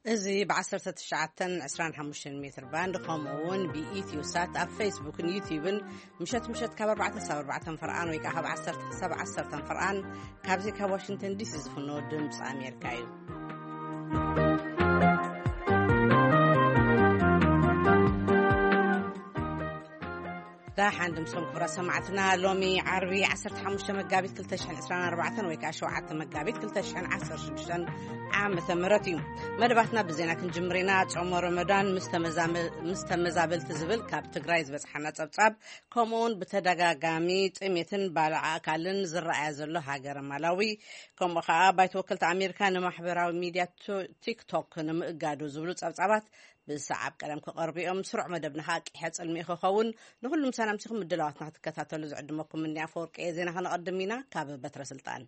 እዚ ብ1925 ሜትር ባንድ፣ ከምኡ እውን ብኢትዮ ሳት ኣብ ፌስቡክን ዩቲዩብን፣ ምሸት ምሸት ካብ ኣርባዕተ ክሳብ ኣርባዕተ ፈርቓን ወይ ከዓ ካብ ዓሰርተ ክሳብ ዓሰርተ ፈርቓን፣ ካብዚ ካብ ዋሽንግተን ዲሲ ዝፍኖ ድምፂ ኣሜሪካ እዩ። ዳሓን ድምሶም ክብራ ሰማዕትና፣ ሎሚ ዓርቢ 15 መጋቢት 2024 ወይ ከዓ 7 መጋቢት 2016 ዓመተ ምህረት እዩ። መደባትና ብዜና ክንጅምር ኢና። ጾሞ ረመዳን ምስ ተመዛመ-፣ ምስ ተመዛበልቲ ዝብል ካብ ትግራይ ዝበጽሓና ጸብጻብ፣ ከምኡውን ብተደጋጋሚ ጥሜትን ባልዓ ኣካልን ዝረኣያ ዘሎ ሃገረ ማላዊ፣ ከምኡ ከዓ ባይቶ ወከልቲ ኣሜሪካ ንማሕበራዊ ሚድያ ቶ-፣ ቲክቶክ ንምእጋዱ ዝብሉ ጸብጻባት ብሰዓብ ቀደም ክቐርቡ እዮም። ስሩዕ መደብና ከዓ ቂሐ ጽልሚ ክኸውን። ንኹሉም ሰላምቲኹም ምድላዋትና ክትከታተሉ ዝዕድመኩም እኒ ኣፈወርቂ እየ። ዜና ከነቐድም ኢና። ካብ በትረ ስልጣን።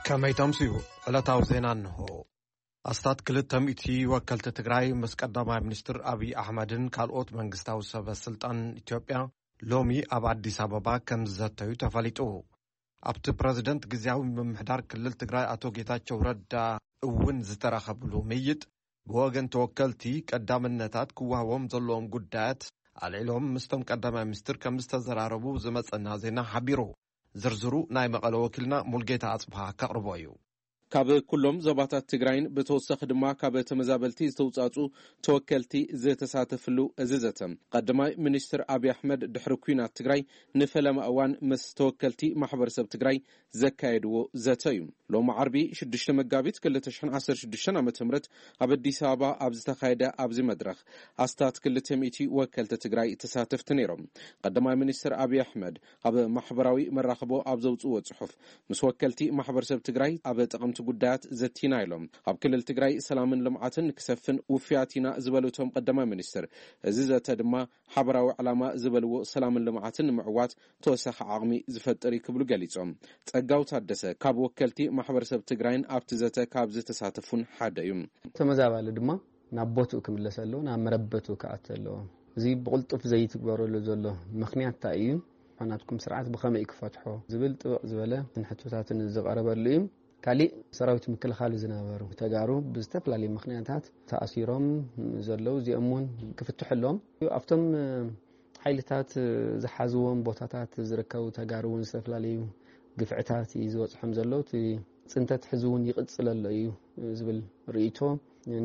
ከመይ ተምስዩ? ዕለታዊ ዜና እንሆ። ኣስታት 200 ወከልቲ ትግራይ ምስ ቀዳማይ ሚኒስትር ኣብይ ኣሕመድን ካልኦት መንግስታዊ ሰበ ስልጣን ኢትዮጵያ ሎሚ ኣብ ኣዲስ ኣበባ ከም ዝዘተዩ ተፈሊጡ። ኣብቲ ፕረዚደንት ግዝያዊ ምምሕዳር ክልል ትግራይ ኣቶ ጌታቸው ረዳ እውን ዝተረኸብሉ ምይጥ፣ ብወገን ተወከልቲ ቀዳምነታት ክወሃቦም ዘለዎም ጉዳያት ኣልዒሎም ምስቶም ቀዳማይ ሚኒስትር ከም ዝተዘራረቡ ዝመጸና ዜና ሓቢሩ። ዝርዝሩ ናይ መቐለ ወኪልና ሙልጌታ ኣጽብሃ ከቕርቦ እዩ። ካብ ኩሎም ዞባታት ትግራይን ብተወሳኺ ድማ ካብ ተመዛበልቲ ዝተውጻጹ ተወከልቲ ዝተሳተፍሉ እዚ ዘተ፣ ቀዳማይ ሚኒስትር ኣብይ ኣሕመድ ድሕሪ ኲናት ትግራይ ንፈለማ እዋን ምስ ተወከልቲ ማሕበረሰብ ትግራይ ዘካየድዎ ዘተ እዩ። ሎሚ ዓርቢ 6 መጋቢት 2016 ዓ.ም ኣብ ኣዲስ ኣበባ ኣብ ዝተኻየደ ኣብዚ መድረኽ ኣስታት 200 ወከልቲ ትግራይ ተሳተፍቲ ነይሮም። ቀዳማይ ሚኒስትር ኣብይ ኣሕመድ ኣብ ማሕበራዊ መራኽቦ ኣብ ዘውፅዎ ፅሑፍ፣ ምስ ወከልቲ ማሕበረሰብ ትግራይ ኣብ ጠቐምቲ ጉዳያት ዘቲና ኢሎም። ኣብ ክልል ትግራይ ሰላምን ልምዓትን ክሰፍን ውፍያት ኢና ዝበሉ እቶም ቀዳማይ ሚኒስትር፣ እዚ ዘተ ድማ ሓበራዊ ዕላማ ዝበልዎ ሰላምን ልምዓትን ንምዕዋት ተወሳኺ ዓቕሚ ዝፈጥር እዩ ክብሉ ገሊጾም። ጸጋው ታደሰ ካብ ወከልቲ ማሕበረሰብ ትግራይን ኣብቲ ዘተ ካብ ዝተሳተፉን ሓደ እዩ። ተመዛባሊ ድማ ናብ ቦትኡ ክምለስ ኣለዎ፣ ናብ መረበቱ ክኣቱ ኣለዎ። እዚ ብቕልጡፍ ዘይትግበረሉ ዘሎ ምኽንያት እንታይ እዩ? ናትኩም ስርዓት ብኸመይ ክፈትሖ ዝብል ጥብቕ ዝበለ ሕቶታትን ዝቐረበሉ እዩ። ካሊእ ሰራዊት ምክልኻል ዝነበሩ ተጋሩ ብዝተፈላለዩ ምኽንያታት ተኣሲሮም ዘለዉ፣ እዚኦም እውን ክፍትሑ ኣለዎም። ኣብቶም ሓይልታት ዝሓዝዎም ቦታታት ዝርከቡ ተጋሩ እውን ዝተፈላለዩ ግፍዕታት እዩ ዝበፅሖም ዘሎ። እቲ ፅንተት ሕዚ እውን ይቕፅል ኣሎ እዩ ዝብል ርእይቶ፣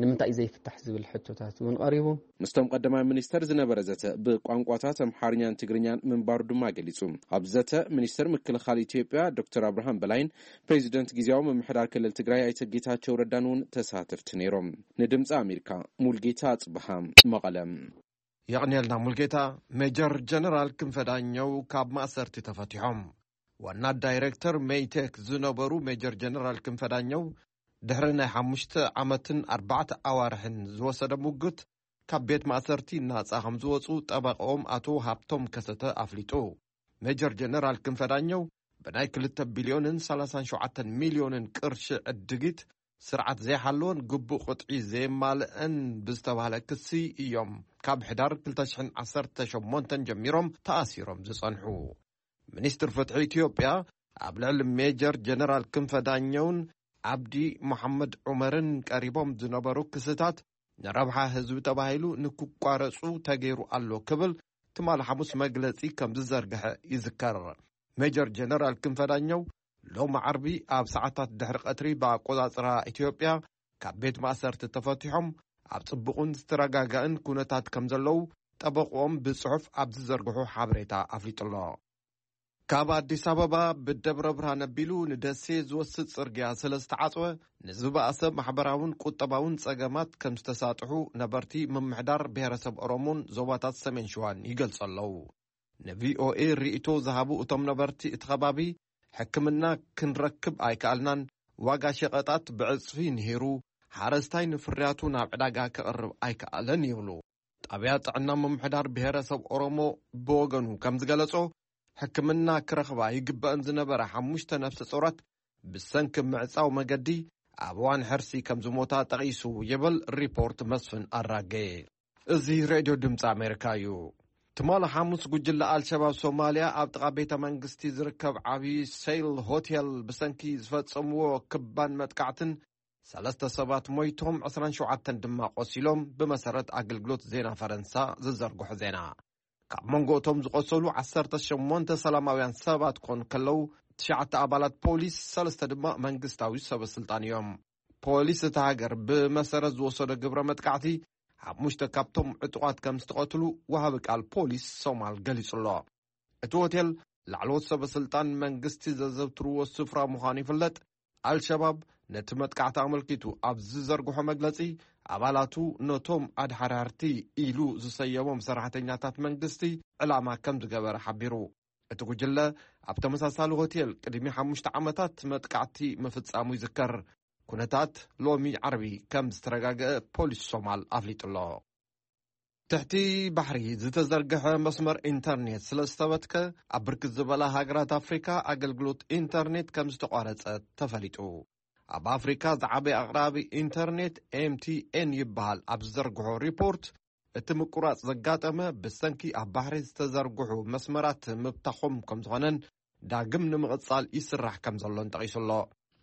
ንምንታይ እዩ ዘይፍታሕ ዝብል ሕቶታት እውን ቀሪቡ። ምስቶም ቀዳማይ ሚኒስተር ዝነበረ ዘተ ብቋንቋታት ኣምሓርኛን ትግርኛን ምንባሩ ድማ ገሊጹ። ኣብ ዘተ ሚኒስተር ምክልኻል ኢትዮጵያ ዶክተር ኣብርሃም በላይን ፕሬዚደንት ግዜያዊ ምምሕዳር ክልል ትግራይ ኣይተ ጌታቸው ረዳን እውን ተሳተፍቲ ነይሮም። ንድምፂ ኣሜሪካ ሙልጌታ ኣጽብሃ፣ መቐለ። የቕንየልና ሙልጌታ። ሜጀር ጀነራል ክንፈ ዳኘው ካብ ማእሰርቲ ተፈቲሖም። ዋና ዳይሬክተር ሜይቴክ ዝነበሩ ሜጀር ጀነራል ክንፈ ዳኘው ድሕሪ ናይ ሓሙሽተ ዓመትን ኣርባዕተ ኣዋርሕን ዝወሰደ ሙግት ካብ ቤት ማእሰርቲ ናጻ ከም ዝወጹ ጠበቃኦም ኣቶ ሃብቶም ከሰተ ኣፍሊጡ። ሜጀር ጀነራል ክንፈ ዳኘው ብናይ 2 ቢልዮንን 37 ሚልዮንን ቅርሺ ዕድጊት ስርዓት ዘይሓለወን ግቡእ ቅጥዒ ዘየማልአን ብዝተባህለ ክሲ እዮም ካብ ሕዳር 2018 ጀሚሮም ተኣሲሮም ዝጸንሑ። ሚኒስትር ፍትሒ ኢትዮጵያ ኣብ ልዕሊ ሜጀር ጀነራል ክንፈ ዳኘውን ዓብዲ መሓመድ ዑመርን ቀሪቦም ዝነበሩ ክስታት ንረብሓ ህዝቢ ተባሂሉ ንክቋረጹ ተገይሩ ኣሎ ክብል ትማሊ ሓሙስ መግለጺ ከም ዝዘርግሐ ይዝከር። ሜጀር ጀነራል ክንፈ ዳኘው ሎሚ ዓርቢ ኣብ ሰዓታት ድሕሪ ቀትሪ ብኣቆጻጽራ ኢትዮጵያ ካብ ቤት ማእሰርቲ ተፈቲሖም ኣብ ጽቡቕን ዝተረጋጋእን ኩነታት ከም ዘለዉ ጠበቆም ብጽሑፍ ኣብ ዝዘርግሑ ሓበሬታ ኣፍሊጡ ኣሎ። ካብ ኣዲስ ኣበባ ብደብረ ብርሃን ኣቢሉ ንደሴ ዝወስድ ጽርግያ ስለ ዝተዓጽወ ንዝበኣሰ ማሕበራውን ቁጠባውን ጸገማት ከም ዝተሳጥሑ ነበርቲ ምምሕዳር ብሔረሰብ ኦሮሞን ዞባታት ሰሜን ሸዋን ይገልጹ ኣለዉ። ንቪኦኤ ርእይቶ ዝሃቡ እቶም ነበርቲ እቲ ከባቢ ሕክምና ክንረክብ ኣይከኣልናን፣ ዋጋ ሸቐጣት ብዕጽፊ ንሂሩ፣ ሓረስታይ ንፍርያቱ ናብ ዕዳጋ ከቕርብ ኣይከኣለን ይብሉ። ጣብያ ጥዕና ምምሕዳር ብሔረሰብ ኦሮሞ ብወገኑ ከም ዝገለጾ፣ ሕክምና ክረኽባ ይግበእን ዝነበረ ሓሙሽተ ነፍሰ ጾራት ብሰንኪ ምዕጻው መገዲ ኣብ እዋን ሕርሲ ከም ዝሞታ ጠቒሱ ይብል ሪፖርት መስፍን ኣራጌ። እዚ ሬድዮ ድምፂ ኣሜሪካ እዩ። ትማሊ ሓሙስ ጉጅለ ኣልሸባብ ሶማልያ ኣብ ጥቓ ቤተ መንግስቲ ዝርከብ ዓብዪ ሴይል ሆቴል ብሰንኪ ዝፈጸምዎ ክባን መጥቃዕትን ሰለስተ ሰባት ሞይቶም ዕስራን ሸውዓተን ድማ ቆሲሎም፣ ብመሰረት ኣገልግሎት ዜና ፈረንሳ ዝዘርግሖ ዜና። ካብ መንጎ እቶም ዝቆሰሉ ዓሰርተ ሸሞንተ ሰላማውያን ሰባት ኮን ከለዉ፣ ትሽዓተ ኣባላት ፖሊስ፣ ሰለስተ ድማ መንግስታዊ ሰበ ስልጣን እዮም። ፖሊስ እታ ሃገር ብመሰረት ዝወሰዶ ግብረ መጥቃዕቲ ሓሙሽተ ካብቶም ዕጡቓት ከም ዝተቐትሉ ወሃቢ ቃል ፖሊስ ሶማል ገሊጹ ኣሎ። እቲ ሆቴል ላዕለዎት ሰበ ስልጣን መንግስቲ ዘዘውትርዎ ስፍራ ምዃኑ ይፍለጥ። ኣልሸባብ ነቲ መጥቃዕቲ ኣመልኪቱ ኣብ ዝዘርግሖ መግለጺ፣ ኣባላቱ ነቶም ኣድሓዳርቲ ኢሉ ዝሰየሞም ሰራሕተኛታት መንግስቲ ዕላማ ከም ዝገበረ ሓቢሩ። እቲ ጉጅለ ኣብ ተመሳሳሊ ሆቴል ቅድሚ ሓሙሽተ ዓመታት መጥቃዕቲ ምፍጻሙ ይዝከር። ኩነታት ሎሚ ዓርቢ ከም ዝተረጋገአ ፖሊስ ሶማል ኣፍሊጡ ኣሎ። ትሕቲ ባሕሪ ዝተዘርግሐ መስመር ኢንተርኔት ስለ ዝተበትከ፣ ኣብ ብርክት ዝበላ ሃገራት ኣፍሪካ ኣገልግሎት ኢንተርኔት ከም ዝተቋረጸ ተፈሊጡ። ኣብ ኣፍሪካ ዝዓበየ ኣቕራቢ ኢንተርኔት ኤምቲኤን ይበሃል ኣብ ዝዘርግሖ ሪፖርት፣ እቲ ምቁራጽ ዘጋጠመ ብሰንኪ ኣብ ባሕሪ ዝተዘርግሑ መስመራት ምብታኾም ከም ዝኾነን ዳግም ንምቕጻል ይስራሕ ከም ዘሎን ጠቒሱ ኣሎ።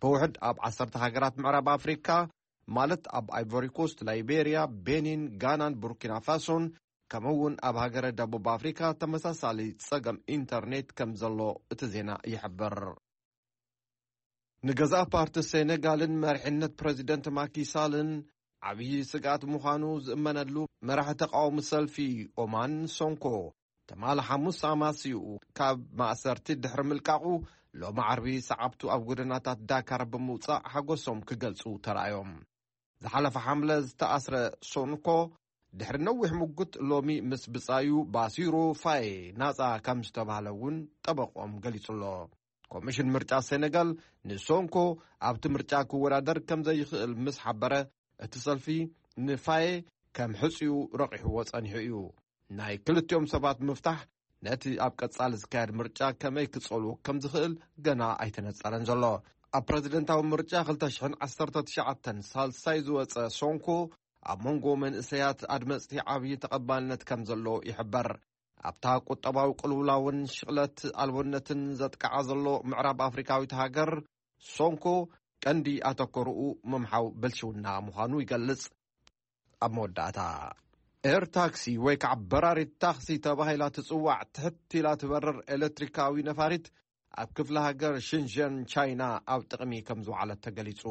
ብውሕድ ኣብ ዓሰርተ ሃገራት ምዕራብ ኣፍሪካ፣ ማለት ኣብ ኣይቮሪ ኮስት፣ ላይቤርያ፣ ቤኒን፣ ጋናን ቡርኪና ፋሶን፣ ከምኡ እውን ኣብ ሃገረ ደቡብ ኣፍሪካ ተመሳሳሊ ጸገም ኢንተርኔት ከም ዘሎ እቲ ዜና ይሕብር። ንገዛእ ፓርቲ ሴኔጋልን መሪሕነት ፕረዚደንት ማኪሳልን ዓብዪ ስግኣት ምዃኑ ዝእመነሉ መራሒ ተቃዋሚ ሰልፊ ኦማን ሶንኮ፣ ትማሊ ሓሙስ ኣማስይኡ ካብ ማእሰርቲ ድሕሪ ምልቃቑ፣ ሎሚ ዓርቢ ሰዓብቱ ኣብ ጎደናታት ዳካር ብምውጻእ ሓጎሶም ክገልጹ ተራእዮም። ዝሓለፈ ሓምለ ዝተኣስረ ሶንኮ፣ ድሕሪ ነዊሕ ምጉት፣ ሎሚ ምስ ብጻዩ ባሲሮ ፋዬ ናጻ ከም ዝተባህለ እውን ጠበቆም ገሊጹ ኣሎ። ኮሚሽን ምርጫ ሴኔጋል ንሶንኮ ኣብቲ ምርጫ ክወዳደር ከም ዘይኽእል ምስ ሓበረ፣ እቲ ሰልፊ ንፋዬ ከም ሕጽዩ ረቒሕዎ ጸኒሑ እዩ። ናይ ክልቲኦም ሰባት ምፍታሕ ነቲ ኣብ ቀጻሊ ዝካየድ ምርጫ ከመይ ክጸልዎ ከም ዝኽእል ገና ኣይተነጸረን ዘሎ። ኣብ ፕረዚደንታዊ ምርጫ ክልተ ሽሕን ዓሰርተ ትሽዓተን ሳልሳይ ዝወጸ ሶንኮ፣ ኣብ መንጎ መንእሰያት ኣድመጽቲ ዓብዪ ተቐባልነት ከም ዘለዎ ይሕበር። ኣብታ ቁጠባዊ ቅልውላውን ሽቕለት ኣልቦነትን ዘጥቅዓ ዘሎ ምዕራብ ኣፍሪካዊት ሃገር፣ ሶንኮ ቀንዲ ኣተኮርኡ ምምሓው ብልሽውና ምዃኑ ይገልጽ። ኣብ መወዳእታ፣ ኤር ታክሲ ወይ ከዓ በራሪት ታክሲ ተባሂላ ትጽዋዕ ትሕት ኢላ ትበርር ኤሌክትሪካዊ ነፋሪት ኣብ ክፍለ ሃገር ሽንሸን ቻይና ኣብ ጥቕሚ ከም ዝወዓለት ተገሊጹ።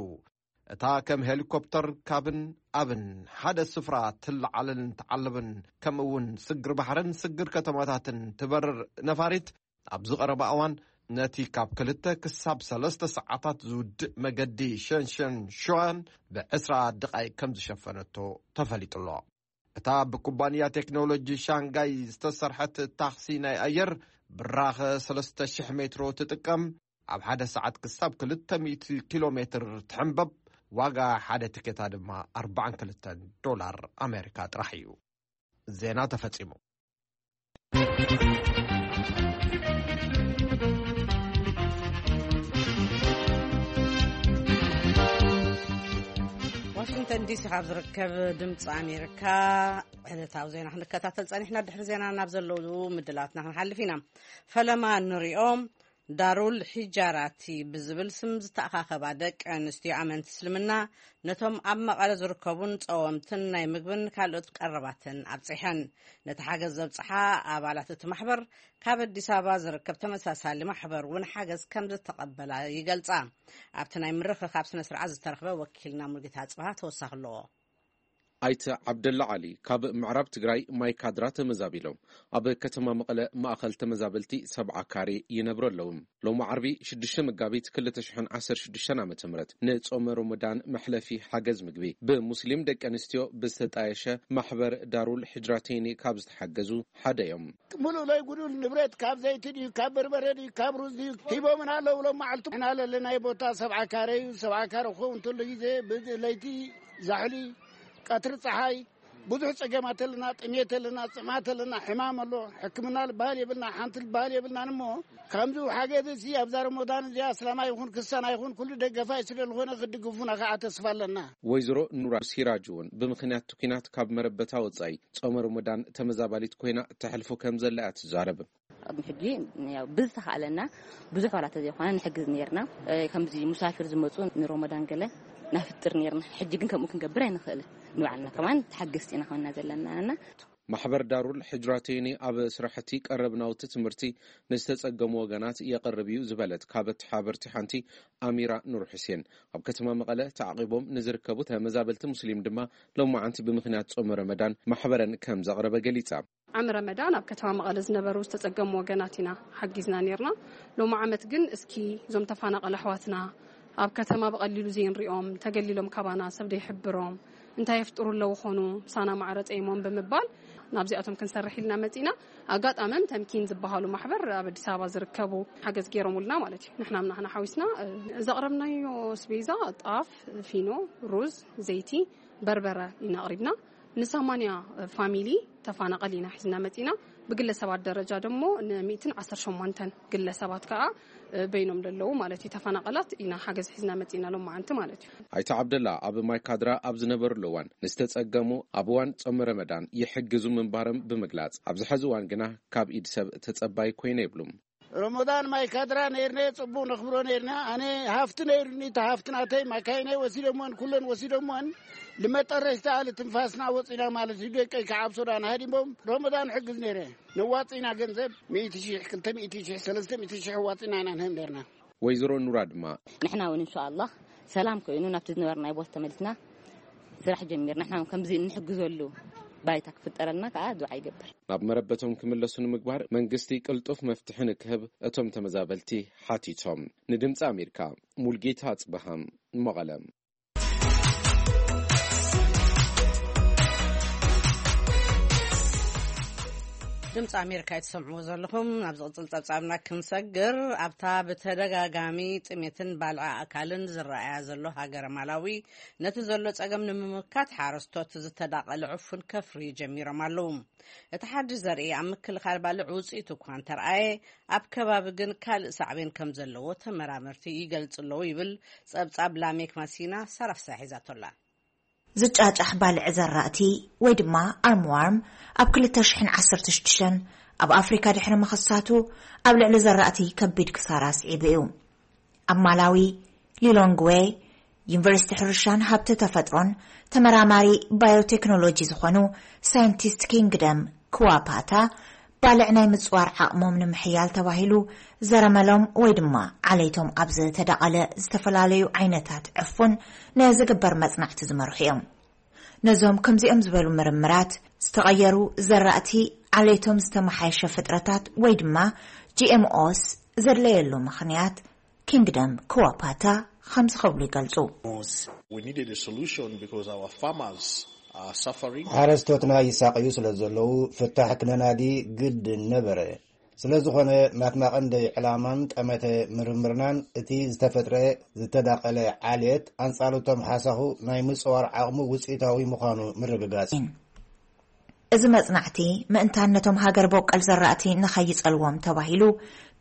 እታ ከም ሄሊኮፕተር ካብን ኣብን ሓደ ስፍራ ትለዓልን ትዓልብን፣ ከምኡ እውን ስግር ባሕርን ስግር ከተማታትን ትበርር ነፋሪት፣ ኣብዚ ቀረባ እዋን ነቲ ካብ ክልተ ክሳብ ሰለስተ ሰዓታት ዝውድእ መገዲ ሸንሸን ሸዋን ብዕስራ ደቓይቅ ከም ዝሸፈነቶ ተፈሊጡ ኣሎ። እታ ብኩባንያ ቴክኖሎጂ ሻንጋይ ዝተሰርሐት ታክሲ ናይ ኣየር ብራኸ ሰለስተ ሽሕ ሜትሮ ትጥቀም፣ ኣብ ሓደ ሰዓት ክሳብ ክልተ ሚእቲ ኪሎ ሜትር ትሕንበብ፣ ዋጋ ሓደ ትኬታ ድማ ኣርባዓን ክልተን ዶላር ኣሜሪካ ጥራሕ እዩ። ዜና ተፈጺሙ። ዋሽንግተን ዲሲ ካብ ዝርከብ ድምፂ ኣሜሪካ ዕለታዊ ዜና ክንከታተል ጸኒሕና። ድሕሪ ዜና ናብ ዘለዉ ምድላትና ክንሓልፍ ኢና። ፈለማ ንሪኦ። ዳሩል ሒጃራቲ ብዝብል ስም ዝተኣኻኸባ ደቂ ኣንስትዮ ኣመንቲ እስልምና፣ ነቶም ኣብ መቐለ ዝርከቡን ጸወምትን ናይ ምግብን ካልኦት ቀረባትን ኣብጺሐን። ነቲ ሓገዝ ዘብጽሓ ኣባላት እቲ ማሕበር፣ ካብ ኣዲስ ኣበባ ዝርከብ ተመሳሳሊ ማሕበር እውን ሓገዝ ከም ዝተቐበላ ይገልጻ። ኣብቲ ናይ ምርኽኻብ ስነ ስርዓት ዝተረኽበ ወኪልና ሙልጌታ ኣጽብሃ ተወሳኺ ኣለዎ። ኣይተ ዓብደላ ዓሊ ካብ ምዕራብ ትግራይ ማይ ካድራ ተመዛቢሎም ኣብ ከተማ መቐለ ማእኸል ተመዛበልቲ ሰብዓ ካሬ ይነብሩ ኣለዉ። ሎም ዓርቢ ሽዱሽተ መጋቢት ክልተ ሽሕን ዓሰርተ ሽዱሽተን ዓመተ ምህረት ንጾመ ሮሞዳን መሕለፊ ሓገዝ ምግቢ ብሙስሊም ደቂ ኣንስትዮ ብዝተጣየሸ ማሕበር ዳሩል ሕጅራተይኒ ካብ ዝተሓገዙ ሓደ እዮም። ምሉእ ለይ ጉዱል ንብረት ካብ ዘይቲ ድዩ ካብ በርበረ ድዩ ካብ ሩዝ ድዩ ሂቦምና ኣለዉ። ሎም መዓልቱ ኢና ለለናይ ቦታ ሰብዓ ካሬ እዩ። ሰብዓ ካሬ ክኸውን እንተሎ ግዜ ለይቲ ዛሕሊ ቀትሪ ፀሓይ ብዙሕ ጸገማት ኣለና፣ ጥሜት ኣለና፣ ጽምኣት ኣለና፣ ሕማም ኣሎ፣ ሕክምና ዝበሃል የብልና፣ ሓንቲ ዝበሃል የብልናን። እሞ ከምዚ ሓገዝ እዚ ኣብዛ ረመዳን እዚኣ ኣስላማይ ይኹን ክርስቲያን ኣይኹን ኩሉ ደገፋይ ስለ ዝኾነ ክድግፉና ከዓ ተስፋ ኣለና። ወይዘሮ ኑራ ሲራጅ እውን ብምኽንያት እቲ ኲናት ካብ መረበታ ወጻኢ ጾመ ረመዳን ተመዛባሊት ኮይና ተሕልፎ ከም ዘላ እያ ትዛረብ። ኣብ ሕጂ ያው ብዝተኻእለና ብዙሕ ዋላ ተዘይኮነ ንሕግዝ ነርና። እ፣ ከምዚ ሙሳፊር ዝመጹ ንሮመዳን ገለ ናፍጥር ነርና። ሕጂ ግን ከምኡ ክንገብር ኣይንኽእልን። ንባዕልና ከማን ተሓገዝቲ ኢና ኮይና ዘለና። ማሕበር ዳሩል ሕጅራተይኒ ኣብ ስራሕቲ ቀረብ ናውቲ ትምህርቲ ንዝተጸገሙ ወገናት የቕርብ እዩ ዝበለት ካብ ተሓበርቲ ሓንቲ ኣሚራ ኑር ሑሴን፣ ኣብ ከተማ መቐለ ተዓቒቦም ንዝርከቡ ተመዛበልቲ ሙስሊም ድማ ሎማዓንቲ ብምኽንያት ጾመ ረመዳን ማሕበረን ከም ዘቕረበ ገሊጻ። ዓሚ ረመዳን ኣብ ከተማ መቐለ ዝነበሩ ዝተጸገሙ ወገናት ኢና ሓጊዝና ነርና። ሎሚ ዓመት ግን እስኪ እዞም ተፈናቐሉ ኣሕዋትና ኣብ ከተማ ብቐሊሉ ዘይንሪኦም፣ ተገሊሎም ካባና፣ ሰብ ዘይሕብሮም፣ እንታይ የፍጥሩ ኣለዉ ኾኑ፣ ምሳና ማዕረ ጸይሞም ብምባል ናብዚኣቶም ክንሰርሕ ኢልና መጺና። ኣጋጣሚ ተምኪን ዝበሃሉ ማሕበር ኣብ ኣዲስ ኣበባ ዝርከቡ ሓገዝ ገይሮምልና ማለት እዩ። ንሕና ምናህና ሓዊስና፣ እ፣ ዘቕረብናዮ ኣስቤዛ ጣፍ፣ ፊኖ፣ ሩዝ፣ ዘይቲ፣ በርበረ ኢና ኣቕሪብና። ንሰማንያ ፋሚሊ ተፋናቐል ኢና ሒዝና መጺና። ብግለሰባት ደረጃ ደሞ ንሚእትን ዓሰርተ ሸሞንተን ግለሰባት ከኣ፣ እ፣ በይኖም ለለዉ ማለት እዩ፣ ተፋናቐላት ኢና ሓገዝ ሒዝና መጺና ሎም መዓንቲ ማለት እዩ። ኣይተ ዓብደላ ኣብ ማይካድራ ኣብ ዝነበሩሉ እዋን ንዝተጸገሙ ኣብ እዋን ጾመ ረመዳን ይሕግዙ ምንባሮም ብምግላጽ፣ ኣብዚ ሕዚ እዋን ግና ካብ ኢድ ሰብ ተጸባይ ኮይነ ይብሉ። ረመዳን ማይካድራ ነይርና፣ ጽቡቕ ነኽብሮ ነይርና። ኣነ ሃፍቲ ነይሩኒ፣ እቲ ሃፍቲ ናተይ ማካይነይ ወሲዶምወን፣ ኩለን ወሲዶምወን። ልመጠረሽታ ልትንፋስና ወጺና ማለት እዩ። ደቀይ ከዓብ ሶዳን ሃዲሞም ረመዳን ሕግዝ ነይረ። ነዋጺና ገንዘብ ሚእቲ ሺሕ፣ ክልተ ሚእቲ ሺሕ፣ ሰለስተ ሚእቲ ሺሕ ዋጺና ኢና ንህብ ነይርና። ወይዘሮ ኑራ ድማ ንሕና እውን እንሻኣላህ ሰላም ኮይኑ ናብቲ ዝነበርናዮ ቦታ ተመሊስና ስራሕ ጀሚርና። ንሕና እውን ከምዚ እንሕግዘሉ ባይታ ክፍጠረልና ከዓ ዱዓ ይገብር። ናብ መረበቶም ክምለሱ ንምግባር መንግስቲ ቅልጡፍ መፍትሒ ንክህብ እቶም ተመዛበልቲ ሓቲቶም። ንድምፂ ኣሜሪካ ሙልጌታ ኣፅበሃ፣ መቐለ። ድምፂ ኣሜሪካ እትሰምዕዎ ዘለኹም። ናብ ዝቕፅል ፀብፃብና ክንሰግር፣ ኣብታ ብተደጋጋሚ ጥሜትን ባልዒ ኣእካልን ዝረኣያ ዘሎ ሃገረ ማላዊ፣ ነቲ ዘሎ ፀገም ንምምካት ሓረስቶት ዝተዳቐለ ዕፉን ከፍርዩ ጀሚሮም ኣለዉ። እቲ ሓድሽ ዘርኢ ኣብ ምክልኻል ባልዕ ውፅኢት እኳ እንተረኣየ፣ ኣብ ከባቢ ግን ካልእ ሳዕቤን ከም ዘለዎ ተመራመርቲ ይገልጹ ኣለዉ ይብል ጸብጻብ ላሜክ ማሲና። ሳራፍሳ ሒዛቶላ። ዝጫጫሕ ባልዕ ዘራእቲ ወይ ድማ ኣርምዋርም ኣብ ክልተ ሽሕን ዓሰርተ ሽዱሽተን ኣብ ኣፍሪካ ድሕሪ ምኽሳቱ፣ ኣብ ልዕሊ ዘራእቲ ከቢድ ክሳራ ኣስዒቡ እዩ። ኣብ ማላዊ፣ ሊሎንግዌ ዩኒቨርሲቲ ሕርሻን ሃብቲ ተፈጥሮን ተመራማሪ ባዮቴክኖሎጂ ዝኾኑ ሳይንቲስት ኪንግደም ክዋፓታ፣ ባልዕ ናይ ምጽዋር ዓቕሞም ንምሕያል ተባሂሉ ዘረመሎም ወይ ድማ ዓሌቶም ኣብ ዝተዳቐለ ዝተፈላለዩ ዓይነታት ዕፉን ንዝግበር መጽናዕቲ ዝመርሑ እዮም። ነዞም ከምዚኦም ዝበሉ ምርምራት፣ ዝተቐየሩ ዘራእቲ፣ ዓሌቶም ዝተመሓየሸ ፍጥረታት ወይ ድማ ጂ ኤም ኦስ ዘድለየሉ ምኽንያት ኪንግደም ክዋፓታ ከምዚ ክብሉ ይገልጹ። We needed a solution because our farmers are suffering. ሓረስቶትና ይሳቐዩ ስለ ዘለዉ ፍታሕ ክነናዲ ግድን ነበረ። ስለ ዝኾነ ናትና ቀንዲ ዕላማን ጠመተ ምርምርናን እቲ ዝተፈጥረ ዝተዳቐለ ዓሌት ኣንጻር እቶም ሓሳኹ ናይ ምጽዋር ዓቕሙ ውጽኢታዊ ምዃኑ ምርግጋጽ። እዚ መጽናዕቲ ምእንታን ነቶም ሃገር በቆል ዘራእቲ ንኸይጸልዎም ተባሂሉ፣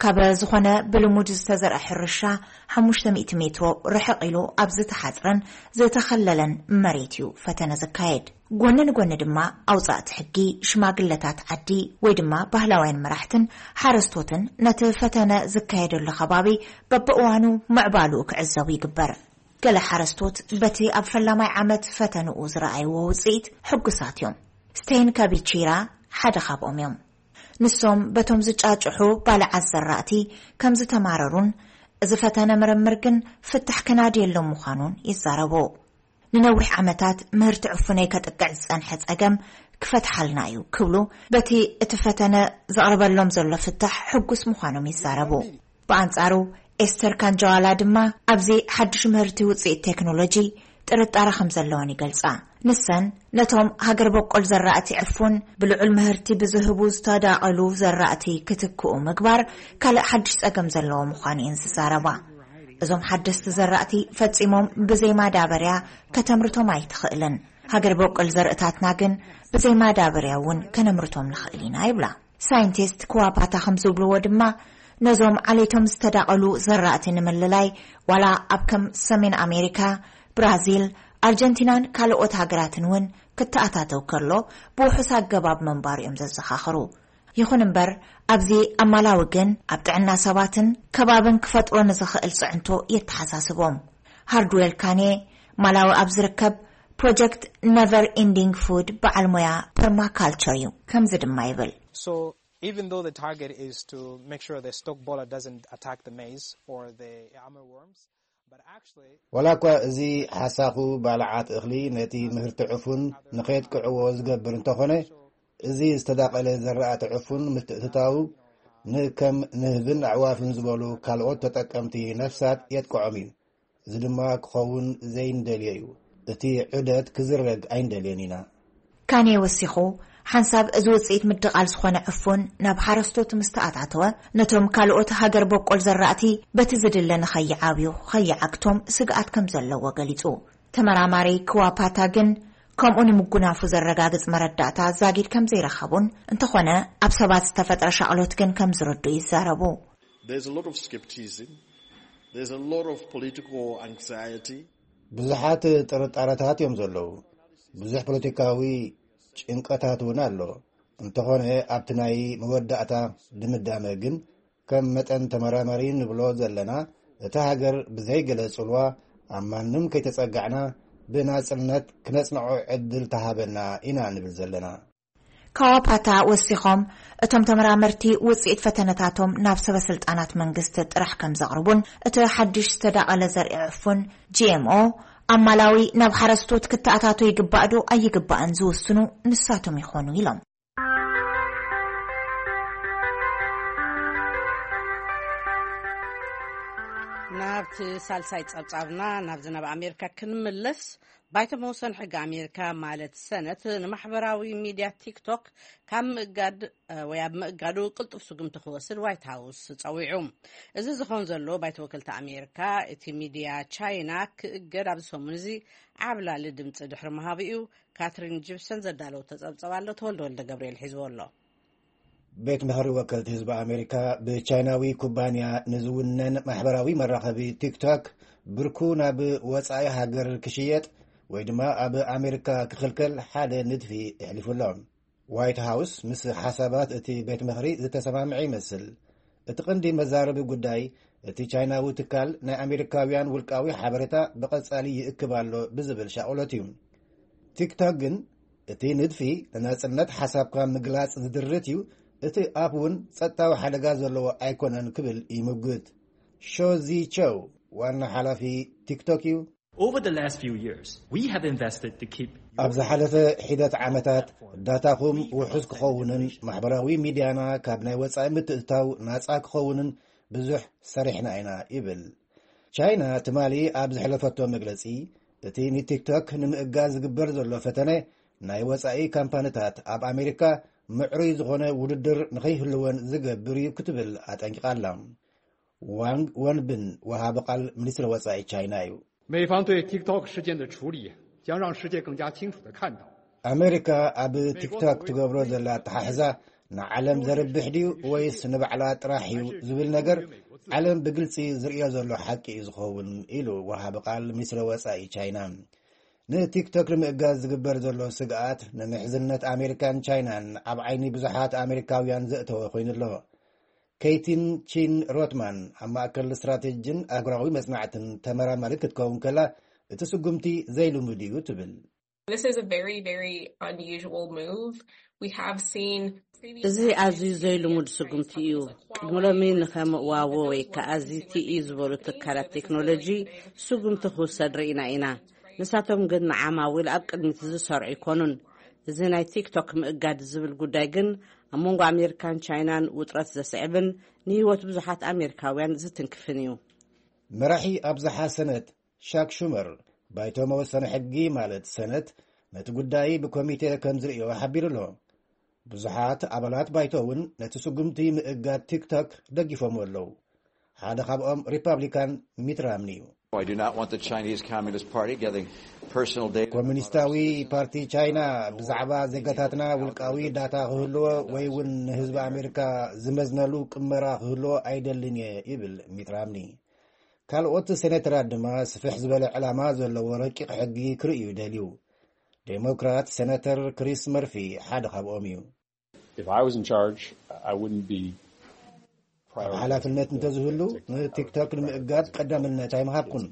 ካብ ዝኾነ ብልሙድ ዝተዘርአ ሕርሻ ሓሙሽተ ሚእቲ ሜትሮ ርሕቕ ኢሉ ኣብ ዝተሓጽረን ዝተኸለለን መሬት እዩ ፈተነ ዘካየድ። ጎኒ ንጎኒ ድማ ኣውጻእቲ ሕጊ፣ ሽማግለታት ዓዲ ወይ ድማ ባህላውያን መራሕትን ሓረስቶትን ነቲ ፈተነ ዝካየደሉ ከባቢ በብእዋኑ ምዕባልኡ ክዕዘቡ ይግበር። ገለ ሓረስቶት በቲ ኣብ ፈላማይ ዓመት ፈተንኡ ዝረኣይዎ ውጽኢት ሕጉሳት እዮም። ስቴን ካቢቺራ ሓደ ካብኦም እዮም። ንሶም በቶም ዝጫጭሑ ባልዓት ዘራእቲ ከም ዝተማረሩን እዚ ፈተነ ምርምር ግን ፍታሕ ክናድየሎም ምዃኑን ይዛረቡ። ንነዊሕ ዓመታት ምህርቲ ዕፉነይ ከጥቅዕ ዝጸንሐ ጸገም ክፈትሓልና እዩ ክብሉ በቲ እቲ ፈተነ ዘቕርበሎም ዘሎ ፍታሕ ሕጉስ ምዃኖም ይዛረቡ። ብኣንጻሩ ኤስተር ካንጃዋላ ድማ ኣብዚ ሓድሽ ምህርቲ ውጽኢት ቴክኖሎጂ ጥርጣረ ከም ዘለወን ይገልጻ። ንሰን ነቶም ሃገር በቆል ዘራእቲ ዕፉን ብልዑል ምህርቲ ብዝህቡ ዝተዳቐሉ ዘራእቲ ክትክኡ ምግባር ካልእ ሓድሽ ጸገም ዘለዎ ምዃኑ እየን ዝዛረባ። እዞም ሓደስቲ ዘራእቲ ፈጺሞም ብዘይ ማዳበርያ ከተምርቶም ኣይትኽእልን። ሃገር በቆል ዘርእታትና ግን ብዘይ ማዳበርያ እውን ከነምርቶም ንኽእል ኢና ይብላ። ሳይንቲስት ክዋፓታ ከም ዝብልዎ ድማ፣ ነዞም ዓሌቶም ዝተዳቐሉ ዘራእቲ ንምልላይ፣ ዋላ ኣብ ከም ሰሜን ኣሜሪካ፣ ብራዚል፣ ኣርጀንቲናን ካልኦት ሃገራትን እውን ክተኣታተው ከሎ፣ ብውሑስ ኣገባብ ምንባሩ እዮም ዘዘኻኽሩ። ይኹን እምበር፣ ኣብዚ ኣብ ማላዊ ግን ኣብ ጥዕና ሰባትን ከባብን ክፈጥሮ ንዝኽእል ጽዕንቶ የተሓሳስቦም። ሃርድዌል ካኔ፣ ማላዊ ኣብ ዝርከብ ፕሮጀክት ነቨር ኢንዲንግ ፉድ በዓል ሞያ ፐርማካልቸር እዩ። ከምዚ ድማ ይብል። So even though the target is to make sure the stalk borer doesn't attack the maize or the armyworms, but actually ዋላ እኳ እዚ ሓሳኹ ባልዓት እኽሊ ነቲ ምህርቲ ዕፉን ንኸየጥቅዕዎ ዝገብር እንተኾነ፣ እዚ ዝተዳቐለ ዘራእቲ ዕፉን ምትእትታው ንከም ንህብን ኣዕዋፍን ዝበሉ ካልኦት ተጠቀምቲ ነፍሳት የጥቅዖም እዩ። እዚ ድማ ክኸውን ዘይንደልዮ እዩ። እቲ ዑደት ክዝረግ ኣይንደልዮን ኢና። ካኔ ወሲኹ፣ ሓንሳብ እዚ ውጽኢት ምድቓል ዝኾነ ዕፉን ናብ ሓረስቶት ምስ ተኣታተወ፣ ነቶም ካልኦት ሃገር በቆል ዘራእቲ በቲ ዝድለ ንኸይዓብዩ፣ ኸይዓግቶም ስግኣት ከም ዘለዎ ገሊጹ። ተመራማሪ ክዋፓታ ግን ከምኡ ንምጉናፉ ዘረጋግጽ መረዳእታ ዛጊድ ከም ዘይረኸቡን፣ እንተኾነ ኣብ ሰባት ዝተፈጥረ ሻቕሎት ግን ከም ዝርዱ ይዛረቡ። There's a lot of skepticism. There's a lot of political anxiety. ብዙሓት ጥርጣረታት እዮም ዘለዉ። ብዙሕ ፖለቲካዊ ጭንቀታት እውን ኣሎ። እንተኾነ ኣብቲ ናይ መወዳእታ ድምዳመ ግን ከም መጠን ተመራማሪ ንብሎ ዘለና፣ እታ ሃገር ብዘይገለ ጽልዋ ኣብ ማንም ከይተጸጋዕና ብናጽነት ክነጽንዖ ዕድል ተሃበና ኢና ንብል ዘለና። ካዋፓታ ወሲኾም፣ እቶም ተመራመርቲ ውጽኢት ፈተነታቶም ናብ ሰበ ስልጣናት መንግስቲ ጥራሕ ከም ዘቕርቡን፣ እቲ ሓድሽ ዝተዳቐለ ዘርኢ ዕፉን ጂ ኤም ኦ ኣብ ማላዊ ናብ ሓረስቶት ክተኣታቶ ይግባእ ዶ ኣይግባእን ዝውስኑ ንሳቶም ይኾኑ ኢሎም። ናብቲ ሳልሳይ ጸብጻብና፣ ናብዚ ናብ ኣሜሪካ ክንምለስ፣ ባይቶ መወሰኒ ሕጊ ኣሜሪካ ማለት ሰነት ንማሕበራዊ ሚድያ ቲክቶክ ካብ ምእጋድ ወይ ኣብ ምእጋዱ ቅልጡፍ ስጉምቲ ክወስድ ዋይት ሃውስ ጸዊዑ። እዚ ዝኾን ዘሎ፣ ባይቶ ወከልቲ ኣሜሪካ እቲ ሚድያ ቻይና ክእገድ ኣብዚ ሰሙን እዚ ዓብላሊ ድምፂ ድሕሪ ምሃቡ እዩ። ካትሪን ጂፕሰን ዘዳለወቶ ጸብጸብ ኣሎ፣ ተወልደ ወልደ ገብርኤል ሒዝዎ ኣሎ። ቤት ምኽሪ ወከልቲ ህዝቢ ኣሜሪካ ብቻይናዊ ኩባንያ ንዝውነን ማሕበራዊ መራኸቢ ቲክቶክ ብርኩ ናብ ወጻኢ ሃገር ክሽየጥ ወይ ድማ ኣብ ኣሜሪካ ክኽልከል ሓደ ንድፊ ኣሕሊፉ ኣሎ። ዋይት ሃውስ ምስ ሓሳባት እቲ ቤት ምኽሪ ዝተሰማምዐ ይመስል። እቲ ቀንዲ መዛረቢ ጉዳይ፣ እቲ ቻይናዊ ትካል ናይ ኣሜሪካውያን ውልቃዊ ሓበሬታ ብቐጻሊ ይእክብ ኣሎ ብዝብል ሻቕሎት እዩ። ቲክቶክ ግን፣ እቲ ንድፊ ንናጽነት ሓሳብካ ምግላጽ ዝድርት እዩ፣ እቲ ኣፕ እውን ጸጥታዊ ሓደጋ ዘለዎ ኣይኮነን ክብል ይምጉት። ሾዚ ቸው ዋና ሓላፊ ቲክቶክ እዩ። Over the last few years, we have invested to keep ኣብ ዝሓለፈ ሒደት ዓመታት፣ ዳታኹም ውሑስ ክኸውንን ማሕበራዊ ሚድያና ካብ ናይ ወጻኢ ምትእትታው ናጻ ክኸውንን ብዙሕ ሰሪሕና ኢና ይብል። ቻይና ትማሊ ኣብ ዘሕለፈቶ መግለጺ፣ እቲ ንቲክቶክ ንምእጋድ ዝግበር ዘሎ ፈተነ፣ ናይ ወጻኢ ካምፓኒታት ኣብ ኣሜሪካ ምዕሩይ ዝኾነ ውድድር ንኸይህልወን ዝገብር እዩ ክትብል ኣጠንቂቓ ኣላ። ዋንግ ወንብን ወሃቢ ቃል ሚኒስትሪ ወጻኢ ቻይና እዩ። 美方对 TikTok 事件的处理将让世界更加清楚地看到 ኣሜሪካ ኣብ ቲክቶክ ትገብሮ ዘላ ኣተሓሕዛ ንዓለም ዘርብሕ ድዩ ወይስ ንባዕላ ጥራሕ እዩ ዝብል ነገር፣ ዓለም ብግልጺ ዝርእዮ ዘሎ ሓቂ እዩ ዝኸውን ኢሉ ወሃቢ ቃል ሚኒስትሪ ወጻኢ ቻይና። ንቲክቶክ ንምእጋዝ ዝግበር ዘሎ ስግኣት ንምሕዝነት ኣሜሪካን ቻይናን ኣብ ዓይኒ ብዙሓት ኣሜሪካውያን ዘእተወ ኮይኑ ኣሎ። ኬይቲን ቺን ሮትማን ኣብ ማእከል ስትራቴጂን ኣህጉራዊ መጽናዕትን ተመራማሪት ክትከውን ከላ፣ እቲ ስጉምቲ ዘይልሙድ እዩ ትብል። This is a very, very unusual move. We have seen previous እዚ ኣዝዩ ዘይልሙድ ስጉምቲ እዩ። ቅድሚ ሎሚ ንኸም ዋዎ ወይ ከዓ ዚቲኢ ዝበሉ ትካላት ቴክኖሎጂ ስጉምቲ ክውሰድ ርኢና ኢና። ንሳቶም ግን ንዓማዊል ኣብ ቅድሚት ዝሰርዑ ኣይኮኑን። እዚ ናይ ቲክቶክ ምእጋድ ዝብል ጉዳይ ግን ኣብ መንጎ ኣሜሪካን ቻይናን ውጥረት ዘስዕብን ንህይወት ብዙሓት ኣሜሪካውያን ዝትንክፍን እዩ። መራሒ ኣብዝሓ ሰነት ሻክ ሹመር፣ ባይቶ መወሰኒ ሕጊ ማለት ሰነት ነቲ ጉዳይ ብኮሚቴ ከም ዝርእዮ ሓቢሩ ኣሎ። ብዙሓት ኣባላት ባይቶ እውን ነቲ ስጉምቲ ምእጋድ ቲክቶክ ደጊፎምዎ ኣለዉ። ሓደ ካብኦም ሪፓብሊካን ሚት ራምኒ እዩ። I do not want the Chinese Communist Party getting personal data. ኮሚኒስታዊ ፓርቲ ቻይና ብዛዕባ ዜጋታትና ውልቃዊ ዳታ ክህልዎ ወይ እውን ንህዝቢ ኣሜሪካ ዝመዝነሉ ቅመራ ክህልዎ ኣይደልን እየ ይብል ሚት ራምኒ። ካልኦት ሴኔተራት ድማ ስፍሕ ዝበለ ዕላማ ዘለዎ ረቂቕ ሕጊ ክርእዩ ይደልዩ። ዴሞክራት ሴናተር ክሪስ መርፊ ሓደ ካብኦም እዩ። If I was in charge, I wouldn't be ኣብ ሓላፍነት እንተዝህሉ ንቲክቶክ ንምእጋድ ቀዳምነት ኣይምሃብኩን።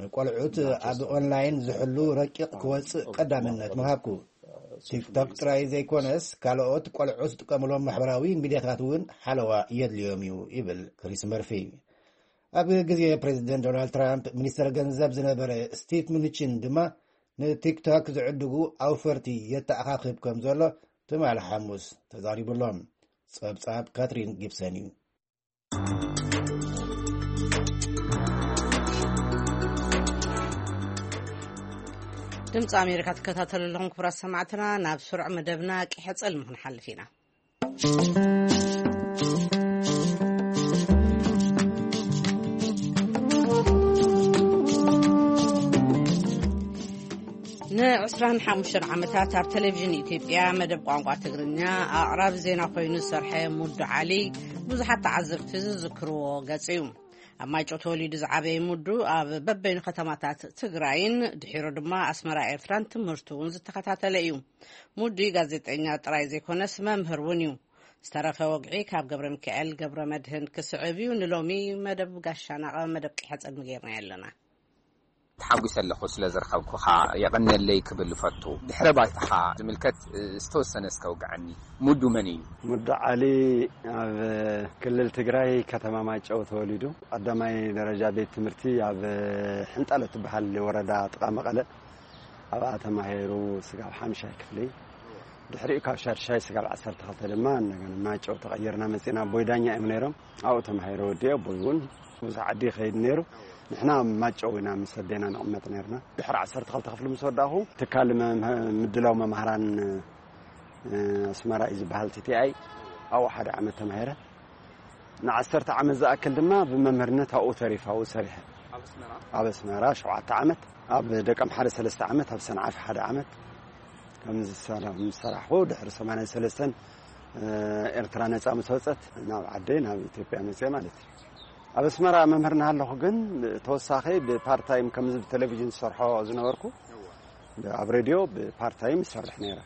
ንቆልዑት ኣብ ኦንላይን ዝሕሉ ረቂቕ ክወፅእ ቀዳምነት ምሃብኩ። ቲክቶክ ጥራይ ዘይኮነስ ካልኦት ቆልዑት ዝጥቀምሎም ማሕበራዊ ሚዲያታት እውን ሓለዋ የድልዮም እዩ ይብል ክሪስ መርፊ። ኣብ ግዜ ፕሬዚደንት ዶናልድ ትራምፕ ሚኒስተር ገንዘብ ዝነበረ ስቲቭ ምኑቺን ድማ ንቲክቶክ ዝዕድጉ ኣውፈርቲ የተኣኻኽብ ከም ዘሎ ትማሊ ሓሙስ ተዛሪቡ ኣሎ። ጸብጻብ ካትሪን ጊብሰን እዩ። ድምፂ ኣሜሪካ ትከታተሉ ኣለኹም ክቡራት ሰማዕትና። ናብ ስሩዕ መደብና ቂሐ ጸልሚ ክንሓልፍ ኢና። ን25 ዓመታት ኣብ ቴሌቪዥን ኢትዮጵያ መደብ ቋንቋ ትግርኛ ኣቕራቢ ዜና ኮይኑ ዝሰርሐ ሙዱ ዓሊ ብዙሓት ተዓዘብቲ ዝዝክርዎ ገጽ እዩ። ኣብ ማይጨው ተወሊዱ ዝዓበየ ሙዱ ኣብ በበይኑ ከተማታት ትግራይን ድሒሩ ድማ ኣስመራ ኤርትራን ትምህርቱ እውን ዝተኸታተለ እዩ። ሙዱ ጋዜጠኛ ጥራይ ዘይኮነስ መምህር እውን እዩ። ዝተረፈ ወግዒ ካብ ገብረ ሚካኤል ገብረ መድህን ክስዕብ እዩ። ንሎሚ መደብ ጋሻና ቀ መደብ ቂሐ ጸልሚ ጌርና ኣለና። ተሓጒሰ ኣለኹ ስለ ዝረኸብኩኻ የቐንየለይ ክብል እፈቱ። ድሕረ ባይታኻ ዝምልከት ዝተወሰነ እስከ ውግዓኒ። ሙዱ መን እዩ? ሙዱ ዓሊ ኣብ ክልል ትግራይ ከተማ ማይጨው ተወሊዱ። ቀዳማይ ደረጃ ቤት ትምህርቲ ኣብ ሕንጣሎ ትበሃል ወረዳ ጥቓ መቐለ ኣብኣ ተማሂሩ ስጋብ ሓምሻይ ክፍሊ። ድሕሪኡ ካብ ሻድሻይ ስጋብ ዓሰርተ ክልተ ድማ እንደገና ማይጨው ተቐይርና መፂና። ኣቦይ ዳኛ እዮም ነይሮም። ኣብኡ ተማሂረ ወዲኡ። ኣቦይ እውን ብዙሕ ዓዲ ይኸይድ ነይሩ። ንሕና ኣብ ማይጨው ኢና ምስ ኣዴና ንቕመጥ ነይርና። ድሕሪ ዓሰርተ ክልተ ክፍሊ ምስ ወዳእኹ ትካል መ- ምድላው መምሃራን ኣስመራ እዩ ዝበሃል፣ ቲቲኣይ፣ ኣብኡ ሓደ ዓመት ተማሂረ። ንዓሰርተ ዓመት ዝኣክል ድማ ብመምህርነት ኣብኡ ተሪፈ፣ ኣብኡ ሰሪሐ። ኣብ ኣስመራ ሸውዓተ ዓመት፣ ኣብ ደቀምሓረ ሰለስተ ዓመት፣ ኣብ ሰንዓፈ ሓደ ዓመት። ከምዚ ዝሰራ- ምስ ሰራሕኹ ድሕሪ ሰማንያን ሰለስተን ኤርትራ ነጻ ምስ ወጸት ናብ ዓደይ ናብ ኢትዮጵያ መጽየ ማለት እዩ። ኣብ ኣስመራ መምህር እናሃለኹ ግን ተወሳኺ ብፓርታይም ከምዚ ብቴሌቪዥን ዝሰርሖ ዝነበርኩ ኣብ ሬድዮ ብፓርታይም ይሰርሕ ነይረ።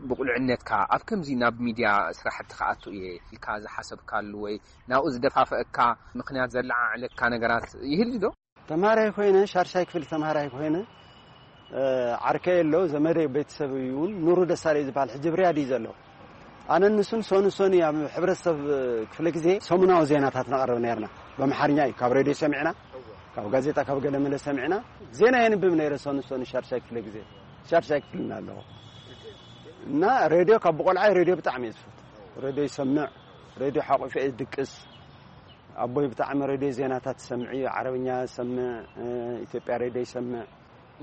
ብቑልዕነትካ ኣብ ከምዚ ናብ ሚድያ ስራሕቲ ክኣቱ እየ ኢልካ ዝሓሰብካሉ ወይ ናብኡ ዝደፋፍአካ ምኽንያት ዘለዓዕለካ ነገራት ይህሉ ዶ? ተምሃራይ ኮይነ ሻርሻይ ክፍሊ ተምሃራይ ኮይነ ዓርከይ ኣሎ ዘመደይ ቤተሰብ እውን ኑሩ ደሳለይ ዝበሃል ሕጂ ብርያድ እዩ ዘሎ። ኣነ ንሱን ሶኒ ሶኒ ኣብ ሕብረተሰብ ክፍለ ግዜ ሰሙናዊ ዜናታት ነቕርብ ነርና። በምሓርኛ እዩ ካብ ሬድዮ ሰሚዕና ካብ ጋዜጣ ካብ ገለመለ ሰሚዕና ዜና የንብብ ነይረ። ሶኒ ሶኒ ሻርሻይ ክፍለ ግዜ ሻርሻይ ክፍልና ኣለኹ እና ሬድዮ ካብ ብቆልዓይ ሬድዮ ብጣዕሚ እየ ዝፈቱ። ሬድዮ ይሰምዕ፣ ሬድዮ ሓቑፈ እየ ድቅስ። ኣቦይ ብጣዕሚ ሬድዮ ዜናታት ዝሰምዕ እዩ፣ ዓረብኛ ዝሰምዕ፣ ኢትዮጵያ ሬድዮ ይሰምዕ።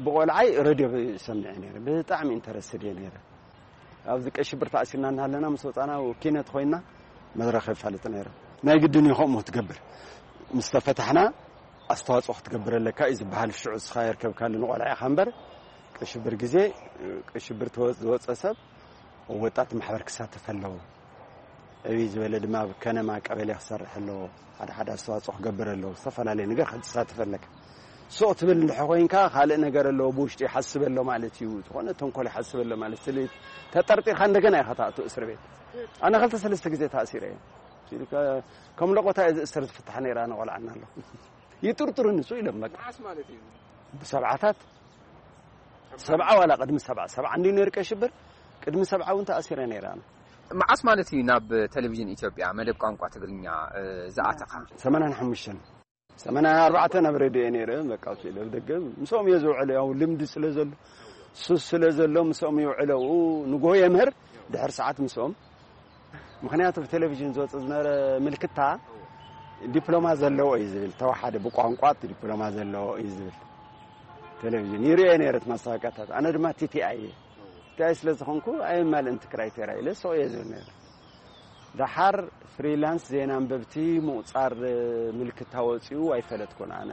ብቆልዓይ ሬድዮ ይሰምዕ እየ ነይረ፣ ብጣዕሚ ኢንተረስትድ እየ ነይረ። ኣብዚ ቀይ ሽብር ተኣሲርና እናሃለና ምስ ወፃና ኪነት ኮይና መድረኽ የፋልጥ ነይረ። ናይ ግድን እዩ ከምኡ ክትገብር፣ ምስ ተፈታሕና ኣስተዋፅኦ ክትገብር ኣለካ እዩ ዝበሃል። ሽዑ እስኻ የርከብካሉ ንቆልዓ ኢኻ እምበር ቀይ ሽብር ግዜ ቀይ ሽብር ዝወፀ ሰብ ወጣት ማሕበር ክሳተፍ ኣለዎ። ዕብይ ዝበለ ድማ ኣብ ከነማ ቀበሌ ክሰርሕ ኣለዎ። ሓደ ሓደ ኣስተዋፅኦ ክገብር ኣለዎ። ዝተፈላለየ ነገር ክትሳተፍ ኣለካ። ሱቕ ትብል እንድሕር ኮይንካ ካልእ ነገር ኣለዎ ብውሽጢ ይሓስብ ኣሎ ማለት እዩ። ዝኾነ ተንኮል ይሓስብ ኣሎ ማለት ስለ ተጠርጢርካ እንደገና ኢኻ ትኣቱ እስር ቤት። ኣነ ክልተ ሰለስተ ግዜ ተኣሲረ እየ። ከም ለቆታ እየ ዝእሰር ዝፍታሕ ነይራ ንቆልዓና ኣሎ ይጥርጥሩኒ እሱ ኢሎም በቃ። ብሰብዓታት ሰብዓ ዋላ ቅድሚ ሰብዓ ሰብዓ እንዲ ነይሩ ቀይ ሽብር ቅድሚ ሰብዓ እውን ተኣሲረ ነይረ ኣነ። መዓስ ማለት እዩ ናብ ቴሌቪዥን ኢትዮጵያ መደብ ቋንቋ ትግርኛ ዝኣተኻ? ሰማንያን ሓሙሽተን ሰማንያን ኣርባዕተን ኣብ ሬድዮ እየ ነይረ። በቃ ውፅእ ኢለ ኣብ ደገ ምስኦም እየ ዝውዕል። ያው ልምዲ ስለ ዘሎ ሱስ ስለ ዘሎ ምስኦም ይውዕለ። ኣብኡ ንግሆ የምህር ድሕሪ ሰዓት ምስኦም ምኽንያቱ ብቴሌቪዥን ዝወፅእ ዝነበረ ምልክታ ዲፕሎማ ዘለዎ እዩ ዝብል፣ ተወሓደ ብቋንቋ ዲፕሎማ ዘለዎ እዩ ዝብል ቴሌቪዥን ይርእዮ ነይረ እቲ ማስታወቂያታት። ኣነ ድማ ቲቲኣይ እየ። ቲቲኣይ ስለ ዝኾንኩ ኣየማልእን እቲ ክራይቴርያ ኢለ ስቕ እየ ዝብል ነይረ። ደሓር ፍሪላንስ ዜና ኣንበብቲ ምቑጻር ምልክታ ወጺኡ ኣይፈለጥኩን ኣነ።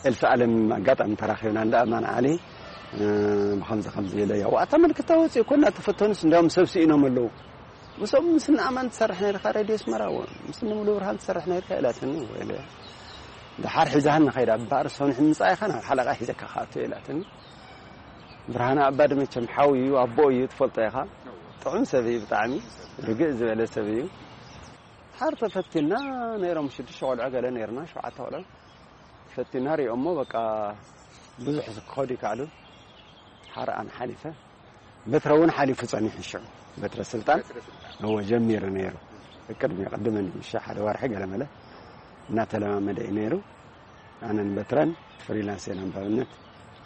ኤልሳ ኣለም ኣጋጣሚ ተራኺብና እንዳ ኣማን ዓሊ ብከምዚ ከምዚ ኢለ ያዋታ ምልክታ ወጺኡ እኮ እናተፈተኑስ እንዲያውም ሰብ ስኢኖም ኣለዉ። ምስኦም ምስ ንኣማን ትሰርሕ ነርካ ሬድዮ ኣስመራ፣ ምስ ንሙሉ ብርሃን ትሰርሕ ነርካ ኢላትኒ። ወይለ ድሓር ሒዛህን ንኸይዳ እምበኣር ሰንሒ ምጻኢኻ ናብ ሓለቓ ሒዘካ ክኣቱ ኢላትኒ። ብርሃነ ኣባዲ መቸም ሓው እዩ፣ ኣቦ እዩ፣ ትፈልጦ ኢኻ። ጥዑም ሰብ እዩ ብጣዕሚ፣ ርግእ ዝበለ ሰብ እዩ። ሓር ተፈቲና ነይሮም ሽዱሽተ ቆልዑ ገለ ነይርና፣ ሸውዓተ ቆልዑ። ፈቲና ሪኦሞ በቃ ብዙሕ ክኸዱ ይከኣሉ። ሓር ኣነ ሓሊፈ። በትረ እውን ሓሊፉ ጸኒሑ ሽዑ። በትረ ስልጣን እወ ጀሚሩ ነይሩ። ቅድሚ ቅድመኒ ምሽ ሓደ ወርሒ ገለ መለ እናተለማመደ እዩ ነይሩ። ኣነን በትረን ፍሪላንስ ኢና ንባብነት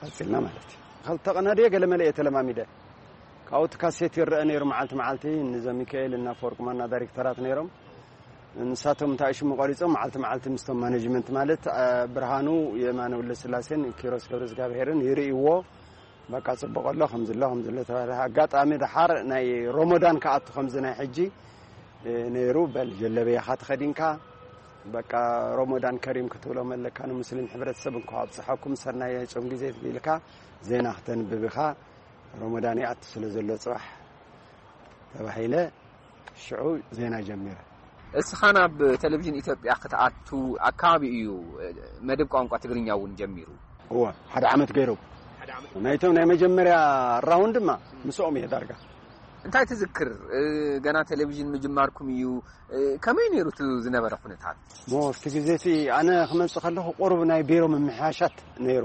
ቀጺልና ማለት እዩ። ክልተ ቅነ ድየ ገለ መለ እየ ተለማሚደ። ካብኡ እቲ ካሴት ይረአ ነይሩ መዓልቲ መዓልቲ፣ ንዘ ሚካኤል እና ፈወርቅ ማና ዳይሬክተራት ነይሮም። ንሳቶም እንታይ ሽሙ ቆሪጾም መዓልቲ መዓልቲ ምስቶም ማኔጅመንት ማለት፣ አ፣ ብርሃኑ የማነ ወልደስላሴን ኪሮስ ገብረዝጋብሄርን ይርእይዎ። በቃ ጽቡቕ ኣሎ፣ ከምዚ ኣሎ፣ ከምዚ ኣሎ ተባሂሉ። ኣጋጣሚ ደሓር ናይ ሮሞዳን ክኣቱ ከምዚ ናይ ሕጂ፣ እ፣ ነይሩ። በል ጀለበያኻ ተኸዲንካ፣ በቃ ሮሞዳን ከሪም ክትብሎም ኣለካ። ንሙስሊም ሕብረተሰብ እንኳ ኣብጽሓኩም፣ ሰናይ ጾም ግዜ ኢልካ ዜና ክተንብብ ኢኻ። ሮሞዳን ይኣቱ ስለ ዘሎ ጽባሕ ተባሂለ፣ ሽዑ ዜና ጀሚረ። እስኻ ናብ ቴሌቪዥን ኢትዮጵያ ክትኣቱ ኣካባቢ እዩ መደብ ቋንቋ ትግርኛ እውን ጀሚሩ። እወ፣ ሓደ ዓመት ገይሩ። ናይቶም ናይ መጀመርያ ራውንድ ድማ ምስኦም እየ ዳርጋ። እንታይ ትዝክር? እ፣ ገና ቴሌቪዥን ምጅማርኩም እዩ። እ፣ ከመይ ነይሩ እቲ ዝነበረ ኩነታት? ሞ፣ ኣብቲ ግዜ እቲ ኣነ ክመጽእ ከለኹ ቁሩብ ናይ ቢሮ ምምሕያሻት ነይሩ።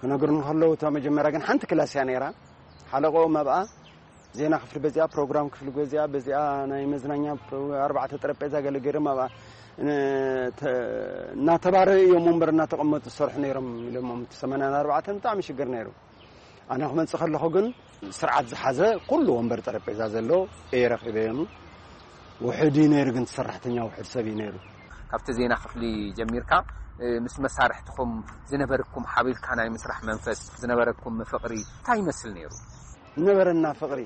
ክነግሩኒ ከለዉ፣ እታ መጀመርያ ግን ሓንቲ ክላስ እያ ነይራ። ሓለቆኦም ኣብኣ ዜና ክፍሊ በዚኣ፣ ፕሮግራም ክፍሊ በዚኣ፣ በዚኣ ናይ መዝናኛ ፕሮ-፣ ኣርባዕተ ጠረጴዛ ገለ ገይሮም ኣብኣ፣ እ፣ ተ-፣ እናተባረዩ እዮም ወንበር እናተቐመጡ ዝሰርሑ ነይሮም ኢሎሞም። እቲ ሰማንያን ኣርባዕተን ብጣዕሚ ሽግር ነይሩ። ኣነ ክመጽእ ከለኹ ግን ስርዓት ዝሓዘ ኩሉ ወንበር ጠረጴዛ ዘለዎ እየ ረኺበዮም። ውሑድ እዩ ነይሩ፣ ግን ሰራሕተኛ ውሑድ ሰብ እዩ ነይሩ። ካብቲ ዜና ክፍሊ ጀሚርካ፣ እ፣ ምስ መሳርሕትኹም ዝነበረኩም ሓቢርካ ናይ ምስራሕ መንፈስ፣ ዝነበረኩም ፍቕሪ እንታይ ይመስል ነይሩ? ዝነበረና ፍቕሪ፣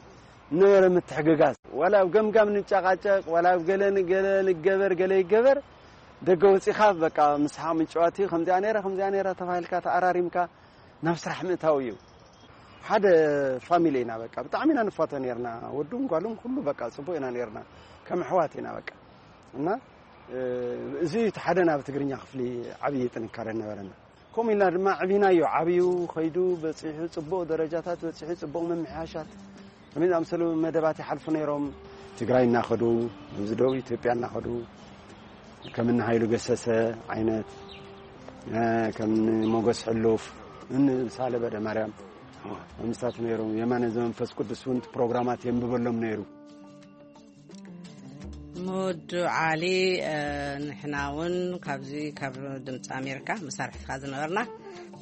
ዝነበረ ምትሕግጋዝ፣ ዋላ ኣብ ገምጋም ንጨቃጨቅ፣ ዋላ ኣብ ገለ ንገለ ንገበር፣ ገለ ይገበር፣ ደገ ወጺኻ በቃ ምስሓቕ ምጭዋት እዩ። ከምዚኣ ነይራ፣ ከምዚኣ ነይራ ተባሂልካ ተኣራሪምካ ናብ ስራሕ ምእታው እዩ። ሓደ ፋሚሊ ኢና በቃ፣ ብጣዕሚ ኢና ንፋቶ ነይርና። ወዱን ጓሉን ኩሉ በቃ ጽቡቅ ኢና ነይርና። ከም ኣሕዋት ኢና በቃ። እና፣ እ፣ እዚ እቲ ሓደ ናብ ትግርኛ ክፍሊ ዓብዪ ጥንካረ ነበረና። ከምኡ ኢልና ድማ ዕቢናዮ፣ ዓብዩ፣ ኸይዱ፣ በጺሑ፣ ጽቡቕ ደረጃታት በጺሑ፣ ጽቡቕ ምምሕያሻት፣ ከመይ ዝኣመሰሉ መደባት ይሓልፉ ነይሮም። ትግራይ እናኸዱ፣ ኣብዚ ደቡብ ኢትዮጵያ እናኸዱ፣ ከም እኒ ሃይሉ ገሰሰ ዓይነት፣ እ፣ ከም እኒ ሞገስ ሕሉፍ፣ እኒ ሳለ በደ ማርያም፣ ምስታት ነይሮም። የማነ ዘመንፈስ ቅዱስ እውን ፕሮግራማት የንብበሎም ነይሩ። ሙዱ ዓሊ፣ እ፣ ንሕና እውን ካብዚ ካብ ድምፂ ኣሜሪካ መሳርሕትካ ዝነበርና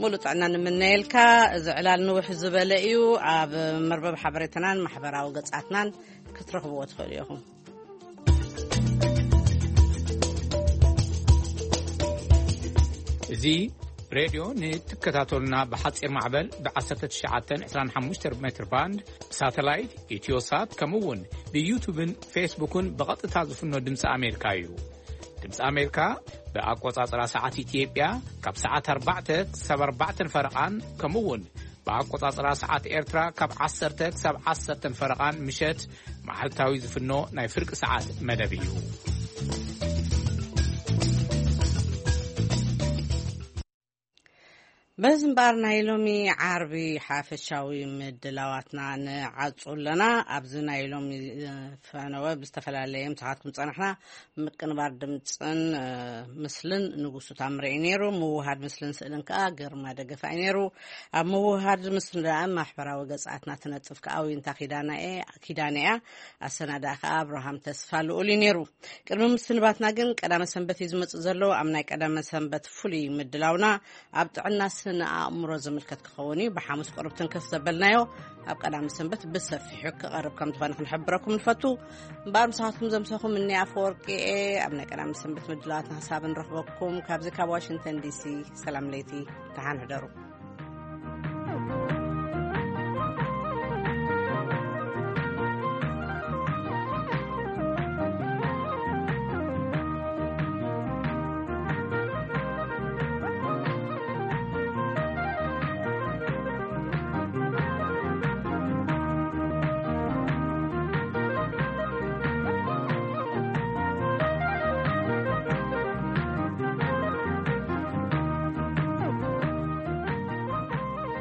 ሙሉእ ጥዕና ንምነየልካ። እዚ ዕላል ንውሕ ዝበለ እዩ። ኣብ መርበብ ሓበሬታናን ማሕበራዊ ገጻትናን ክትረኽብዎ ትኽእሉ ኢኹም። እዚ ሬድዮ ንትከታተሉና ብሓጺር ማዕበል ብ1925 ሜትር ባንድ፣ ብሳተላይት፣ ኢትዮሳት፣ ከምኡ እውን ብዩቱብን ፌስቡክን ብቐጥታ ዝፍኖ ድምፂ ኣሜሪካ እዩ። ድምፂ ኣሜሪካ ብኣቆጻጽራ ሰዓት ኢትዮጵያ ካብ ሰዓት ኣርባዕተ ክሳብ ኣርባዕተን ፈረቓን፣ ከምኡ እውን ብኣቆጻጽራ ሰዓት ኤርትራ ካብ ዓሰርተ ክሳብ ዓሰርተን ፈረቓን ምሸት መዓልታዊ ዝፍኖ ናይ ፍርቂ ሰዓት መደብ እዩ። በዚ እምበኣር ናይ ሎሚ ዓርቢ ሓፈሻዊ ምድላዋትና ንዓጹ ኣለና። ኣብዚ ናይ ሎሚ፣ እ፣ ፈነወ ብዝተፈላለየ ምሳኻትኩም ጸናሕና። ምቅንባር ድምጽን፣ እ፣ ምስልን ንጉሱ ታምረ እዩ ነይሩ። ምውሃድ ምስልን ስእልን ከኣ ግርማ ደገፋ እዩ ነይሩ። ኣብ ምውሃድ ምስልን ደኣ ማሕበራዊ ገጻትና ትነጥፍ ከኣ ዊንታ ኪዳነ እየ፣ ኪዳነ እያ። ኣሰናዳኢ ከኣ ኣብርሃም ተስፋ ልኡል እዩ ነይሩ። ቅድሚ ምስንባትና ግን ቀዳመ ሰንበት እዩ ዝመጽእ ዘሎ። ኣብ ናይ ቀዳመ ሰንበት ፍሉይ ምድላውና ኣብ ጥዕና ስነ ኣእምሮ ዝምልከት ክኸውን እዩ። ብሓሙስ ቁሩብ ትንከፍ ዘበልናዮ ኣብ ቀዳመ ሰንበት ብሰፊሑ ክቐርብ ከም ዝኾነ ክንሕብረኩም ንፈቱ። እምበኣር ምሳኻትኩም ዘምሰኹም እኒ ኣፈወርቂ እየ። ኣብ ናይ ቀዳመ ሰንበት ምድላዋትና ክሳብ ንረኽበኩም ካብዚ ካብ ዋሽንግተን ዲሲ ሰላም ለይቲ፣ ደሓን ሕደሩ።